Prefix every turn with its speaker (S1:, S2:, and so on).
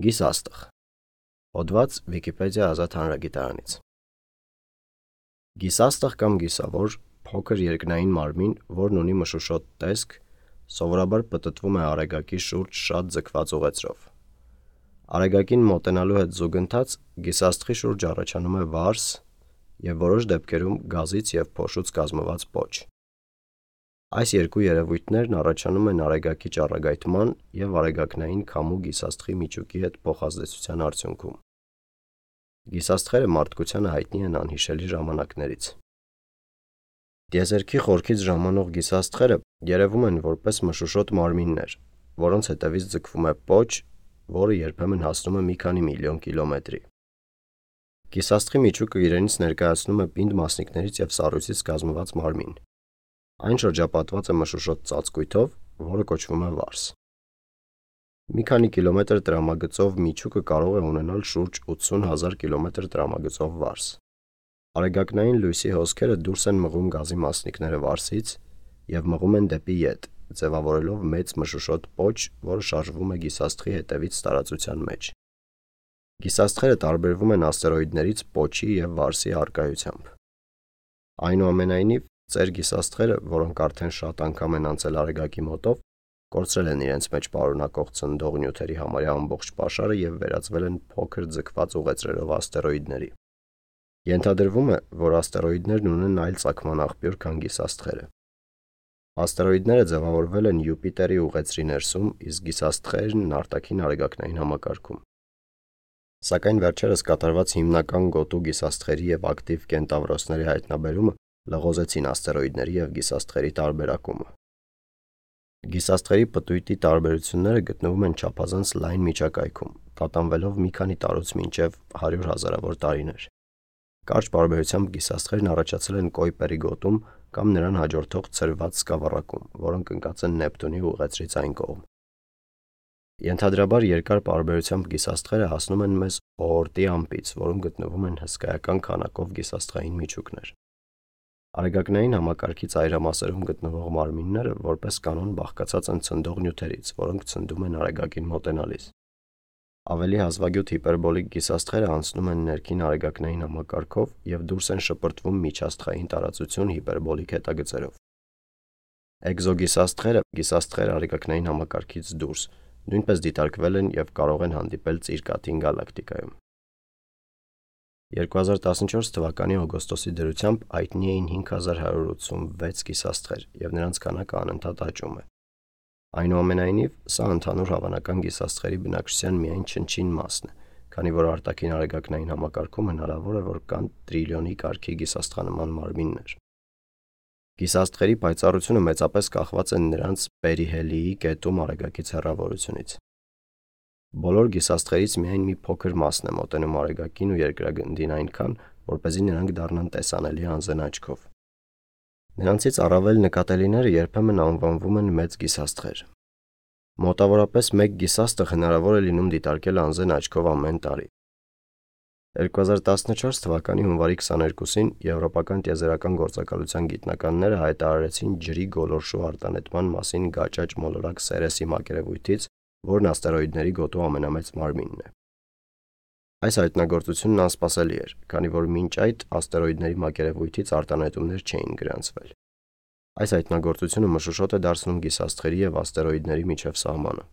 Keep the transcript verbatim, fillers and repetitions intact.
S1: Գիսաստղ։ Հոդված Վիկիպեդիա ազատ հանրագիտարանից։ Գիսաստղ կամ գիսավոր փոքր երկնային մարմին, որն ունի մշուշոտ տեսք, սովորաբար պտտվում է արեգակի շուրջ շատ ձգված ուղեծրով։ Արեգակին մոտենալու հետ զուգընթաց գիսաստղի շուրջ առաջանում է վարս և որոշ դեպքերում գազից և փոշուց կազմված պոչ։ Այս երկու երևույթներն առաջանում են արեգակի ճառագայթման և արեգակնային քամու գիսաստղի միջուկի հետ փոխազդեցության արդյունքում։ Գիսաստղերը մարդկությանը հայտնի են անհիշելի ժամանակներից։ Տիեզերքի խորքից ժամանող գիսաստղերը երևում են որպես մշուշոտ մարմիններ, որոնց հետևից ձգվում է պոչ, որը երբեմն հասնում է մի քանի միլիոն կիլոմետրի։ Գիսաստղի միջուկը իրենից ներկայացնում է պինդ մասնիկներից և սառույցից կազմված մարմին։ Այն շրջապատված է մշուշոտ ծածկույթով, որը կոչվում է վարս։ Մի քանի կիլոմետր տրամագծով միջուկը կարող է ունենալ շուրջ ութսուն հազար կիլոմետր տրամագծով վարս։ Արեգակնային լույսի հոսքերը դուրս են մղում գազի մասնիկները վարսից և մղում են դեպի ետ, ձևավորելով մեծ մշուշոտ պոչ, որը շարժվում է գիսաստղի հետևից տարածության մեջ։ Գիսաստղերը տարբերվում են աստերոիդներից պոչի և վարսի առկայությամբ։ Այնուամենայնիվ, ծեր գիսաստղերը, որոնք արդեն շատ անգամ են անցել արեգակի մոտով, կորցրել են իրենց մեջ պարունակող ցնդող նյութերի համարյա ամբողջ պաշարը և վերածվել են փոքր ձգված ուղեծրերով աստերոիդների։ Ենթադրվում է, որ աստերոիդներն ունեն այլ ծագման աղբյուր, քան գիսաստղերը։ Աստերոիդները ձևավորվել են Յուպիտերի ուղեծրի ներսում, իսկ գիսաստղերն արտաքին արեգակնային համակարգում։ Սակայն վերջերս կատարված հիմնական գոտու գիսաստղերի և ակտիվ կենտավրոսների հայտնաբերումը լղոզեցին աստերոիդների և գիսաստղերի տարբերակումը։ Գիսաստղերի պտույտի տարբերությունները գտնվում են չափազանց լայն միջակայքում, տատանվելով մի քանի տարուց մինչև հարյուր հազարավոր տարիներ։ Կարճ պարբերությամբ գիսաստղերն առաջացել են Կոյպերի գոտում կամ նրան հաջորդող ցրված սկավառակում, որոնք ընկած են Նեպտունի ուղեծրից այն կողմ։ Ենթադրաբար երկար պարբերությամբ գիսաստղերը հասնում են մեզ օորտի ամպից, որում գտնվում են հսկայական քանակով գիսաստղային միջուկներ։ Արեգակնային համակարգի ծայրամասերում գտնվող մարմինները որպես կանոն բաղկացած են ցնդող նյութերից, որոնք ցնդում են արեգակին մոտենալիս։ Ավելի հազվագյուտ հիպերբոլիկ գիսաստղերը անցնում են ներքին արեգակնային համակարգով և դուրս են շպրտվում միջաստղային տարածություն հիպերբոլիկ հետագծերով։ Էկզոգիսաստղերը, գիսաստղեր արեգակնային համակարգից դուրս, նույնպես դիտարկվել են և կարող են հանդիպել Ծիրկաթին գալակտիկայում։ երկու հազար տասնչորս թվականի օգոստոսի դրությամբ հայտնի էին հինգ հազար հարյուր ութսունվեց գիսաստղեր, և նրանց քանակը անընդհատ աճում է։ Այնուամենայնիվ, սա ընդհանուր հավանական գիսաստղերի բնակչության միայն չնչին մասն է, քանի որ արտաքին արեգակնային համակարգում հնարավոր է, որ կան տրիլիոնի կարգի գիսաստղանման մարմիններ։ Գիսաստղերի պայծառությունը մեծապես կախված է նրանց պերիհելիի կետում արեգակից հեռավորությունից։ Բոլոր գիսաստղերից միայն մի փոքր մասն է մոտենում արեգակին ու երկրագնդին այնքան, որպեսզի նրանք դառնան տեսանելի անզեն աչքով։ Նրանցից առավել նկատելիները երբեմն անվանվում են մեծ գիսաստղեր։ Մոտավորապես մեկ գիսաստղ հնարավոր է լինում դիտարկել անզեն աչքով ամեն տարի։ երկու հազար տասնչորս թվականի հունվարի քսաներկուսին եվրոպական տիեզերական գործակալության գիտնականները հայտարարեցին ջրի գոլորշու արտանետման մասին գաճաճ մոլորակ Սերեսի մակերևույթից, որն աստերոիդների գոտու ամենամեծ մարմինն է։ Այս հայտնագործությունն անսպասելի էր, քանի որ մինչ այդ աստերոիդների մակերևույթից արտանետումներ չէին գրանցվել։ Այս հայտնագործությունը մշուշոտ է դարձնում գիսաստղերի և աստերոիդների միջև սահմանը։